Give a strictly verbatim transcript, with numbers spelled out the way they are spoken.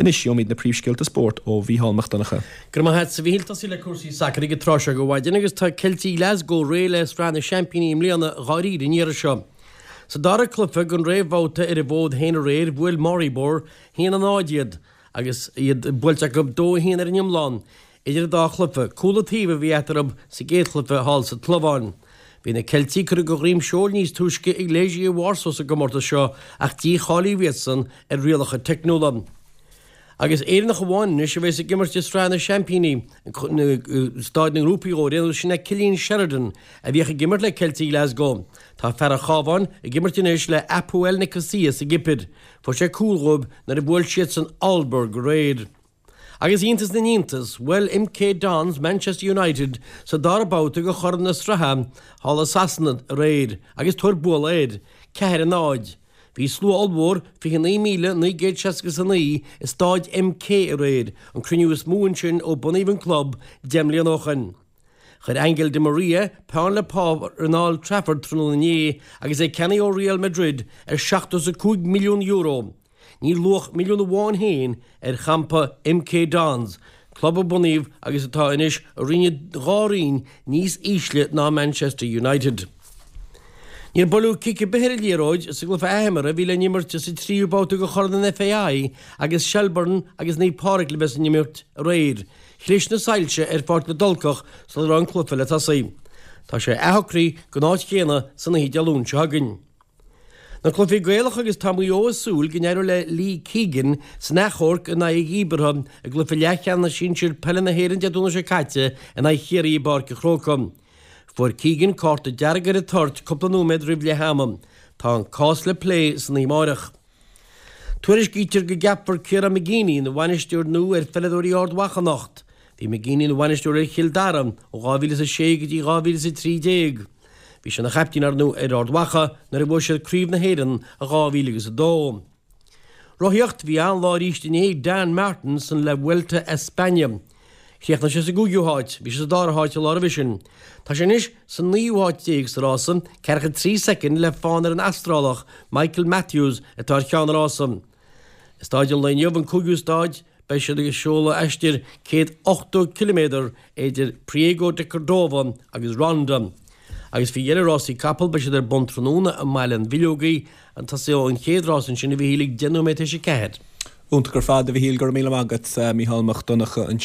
Anois gheobhaimid na príomhscéalta spóirt ó Mhícheál Mac Donncha. Go raibh maith agat a Mhíchíl tosú le cúrsaí sacair ag an tráth seo de mhaidin agus tá Ceiltigh Glasgow réidh le Sraith na Seaimpíní i mbliana dháiríre an iarraidh seo. Sa dara cluiche den réamhbhabhta ar a bhfód féin aréir bhuail Maribor haon a náid iad agus iad buailte acu dó a haon ar an iomlán idir an dá chluiche. Cúl an taobh a bhí eatarthu sa gcéad chluiche thall sa tSlóivéin. Bhí na Ceiltigh curtha de dhroim seoil níos túisce ag Legia Warsaw sa gcomórtas seo ach dícháilíodh iadsan ar rialacha teicniúla. Agus Éireannach amháin anois a bheas ag imirt i Sraith na Seaimpíní staid na ngrúpaí dhó sin é Cillian Sheridan a bhíodh ag imirt le Ceiltigh Glasgow. Tá fear an Chabháin ag imirt anois le Apoel Nicosia sa gCipir. Fuair sé cúl dóibh nuair a bhuail siadsan Aalborg aréir. Agus iontas na n-iontas, bhuail MK Dons Manchester United sa dara babhta de churaidh na sraithe thall i Sasana aréir agus tabhair bualadh air, ceathair a náid. Bhí slua ollmhór fiche naoi míle naoi gcéad seasca is a naoi i staid MK aréir, an cruinniú is mó ansin ó bunaíodh an club deich mbliana ó shin. Chuir Angel Di Maria peann le páipéar in Old Trafford tráthnóna inné agus é ceannaithe ó Real Madrid ar seachtó is a cúig milliún euro. Níl luach milliún amháin féin ar champa MK Dons, club a bunaíodh agus atá anois i roinn dhá roinn níos ísle ná Manchester United. Níor buaileadh cic ar bith ar an liathróid sa gcluiche athimeartha a bhí le n-imirt sa tríú babhta de Chorn an FAI agus Shelbourne agus Naomh Pádraig le bheith san imirt aréir. Chlis na soilse ar Pháirc na dTulcach sula raibh an cluiche le tosaí. Tá sé athshocraithe don áit chéanna san oíche Dé Luain seo chugainn. Na cluichí Gaelacha agus tá Maigh Eo ag súil go n-éireoidh le Lee Keegan san achomharc in aghaidh a dhíbeartha i gcluiche leathcheannais sinsir peile na hÉireann Dé Domhnaigh seo caite in aghaidh Chiarraí i bPáirc an Chrócaigh. Fuair Keegan cárta dearg ar an toirt cúpla nóiméad roimh leath ama. Tá an cás le plé san oíche amárach. Tuairiscítear go gceapfar Ciarán McGeeney ina bhainisteoir nua ar pheileadóirí Ard Mhacha anocht. Bhí McGeeney ina bhainisteoir ar Chill Dara ó dhá mhíle is a sé go dtí dhá mhíle is a trí déag. Bhí sé ina chaiptín ar ndóigh ar Ard Mhacha nuair a bhuaigh siad Craobh na hÉireann i dhá mhíle agus a dó. Rothaíocht bhí an-lá arís inné ag Dan Martin san La Vuelta a España. Chríochnaigh sé sa gcúigiú háit, bhí sé sa dara háit an lá roimhe sin. Tá sé anois sa naoú háit déag sa rása, ceathracha trí soicind le fán ar an Astrálach Michael Matthews atá ar cheann an rása. I staid an lae inniu an cúigiú staid, beidh siad ag seoladh aistear céad ochtó ciliméadar idir Priego de Cordova agus Ronda. Agus faoi dheireadh rásaí capall beidh siad ar bun tráthnóna i mBaile an Bhileogaigh, an tosóidh an chéad rás ansin a Mhíchíl ag deich nóiméad tar éis a ceathair. Iontach ar fad a Mhíchíl go raibh míle maith agat Mícheál Mac Donncha.